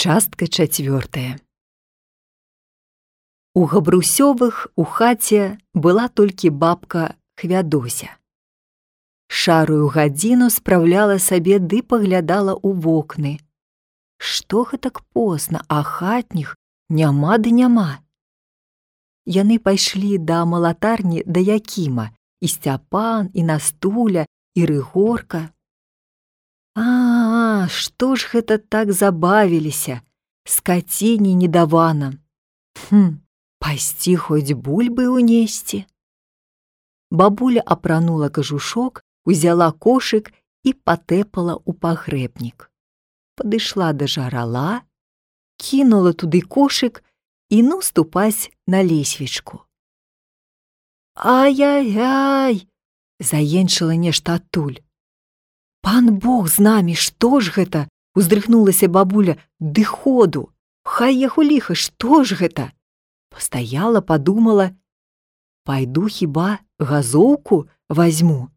Частка 4. У Габрусёвых у хаце была толькі бабка Хвядося. Шарую гадзіну спраўляла сабе ды паглядала ў вокны. Што гэтак позна, а хатніх няма ды няма. Яны пайшлі да малатарні да Якіма, і Сцяпан, і Настуля, і Рыгорка. Што ж гэта так забавіліся, скаціні не давана. Пайсці хоць бульбы ўнесці. Бабуля апранула кажушок, узяла кошык і патэпала ў пагрэбнік. Падышла да жарала, кінула туды кошык і ступаць на лесвічку. Ай-яй-яй! Заенчыла нешта адтуль. Пан Бог з намі, што ж гэта? Уздрыхнулася бабуля. Ды ходу! Хай яго ліха, што ж гэта? Пастаяла, падумала. Пайду хіба газоўку вазьму.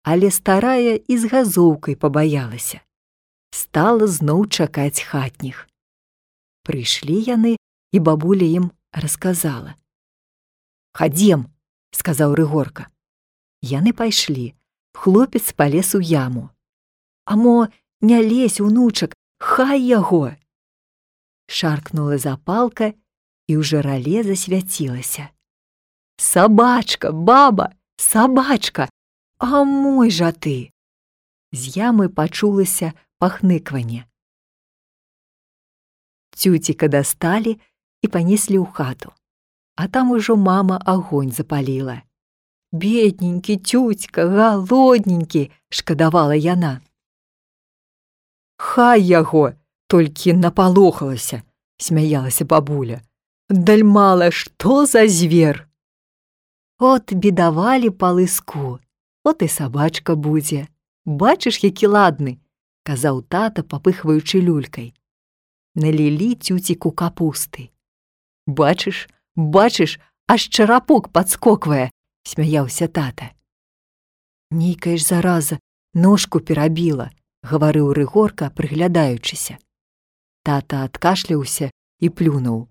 Але старая і з газоўкай пабаялася. Стала зноў чакаць хатніх. Прыйшлі яны, і бабуля ім расказала. «Хадзем», — сказаў Рыгорка. Яны пайшлі. Хлопец палез у яму. «А мо не лезь, унучак, хай яго!» Шаркнула запалка, і ў жарале засвяцілася. «Сабачка, баба, сабачка! А мой жа ты!» З ямы пачулася пахныкванне. Цюціка дасталі і панеслі ў хату. А там ужо мама агонь запаліла. «Бедненькі цюцька, галодненькі!» — шкадавала яна. «Хай яго!» — толькі напалохалася, — смяялася бабуля. «Дальмала, што за звер!» «От бедавалі па лыску, от і сабачка будзе. Бачыш, які ладны!» — казаў тата, папыхваючы люлькай. Налілі цюціку капусты. «Бачыш, бачыш, аж чарапок падскоквае!» — смяяўся тата. «Нейкая ж зараза ножку перабіла», — гаварыў Рыгорка, прыглядаючыся. Тата адкашляўся і плюнуў.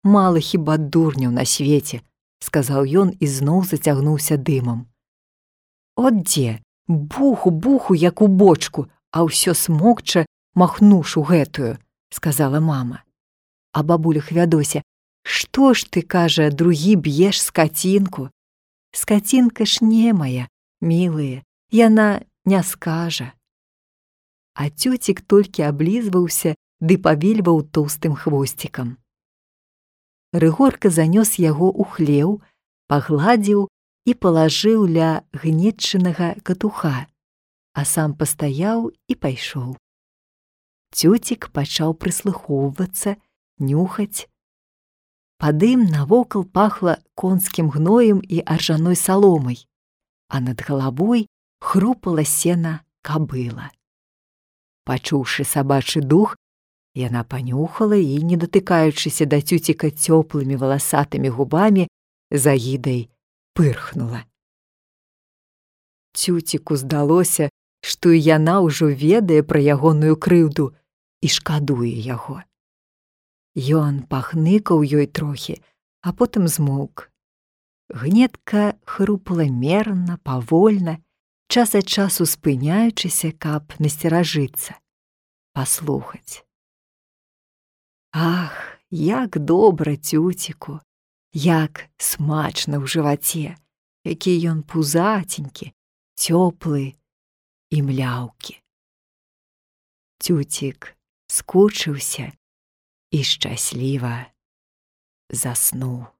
«Мала хіба дурняў на свеце», — сказаў ён і зноў зацягнуўся дымам. «От дзе, буху, як у бочку, а ўсё смокча махнушу гэтую», — сказала мама. А бабуля Хвядося: «Што ж ты, кажа, другі б'еш скацінку? Скацінка ж немая, мілыя, яна не скажа». А цюцік толькі аблізваўся ды павельваў тоўстым хвосцікам. Рыгорка занёс яго ў хлеў, пагладзіў і палажыў ля гнетчынага катуха, а сам пастаяў і пайшоў. Цюцік пачаў прыслухоўвацца, нюхаць. Па дым навокал пахла конскім гноем і аржаной саломай, а над галавой хрупала сена кабыла. Пачуўшы сабачы дух, яна панюхала і, не датыкаючыся да цюціка цёплымі валасатымі губамі, з агідай пырхнула. Цюціку здалося, што і яна ўжо ведае пра ягоную крыўду і шкадуе яго. Ён пахныкаў ёй трохі, а потым змоўк. Гнетка хрупала мерна, павольна, час ад часу спыняючыся, каб насцеражыцца, паслухаць. Ах, як добра цюціку, як смачна ў жываце, які ён пузаценькі, цёплы і мляўкі. Цюцік скучыўся і шчасліва заснуў.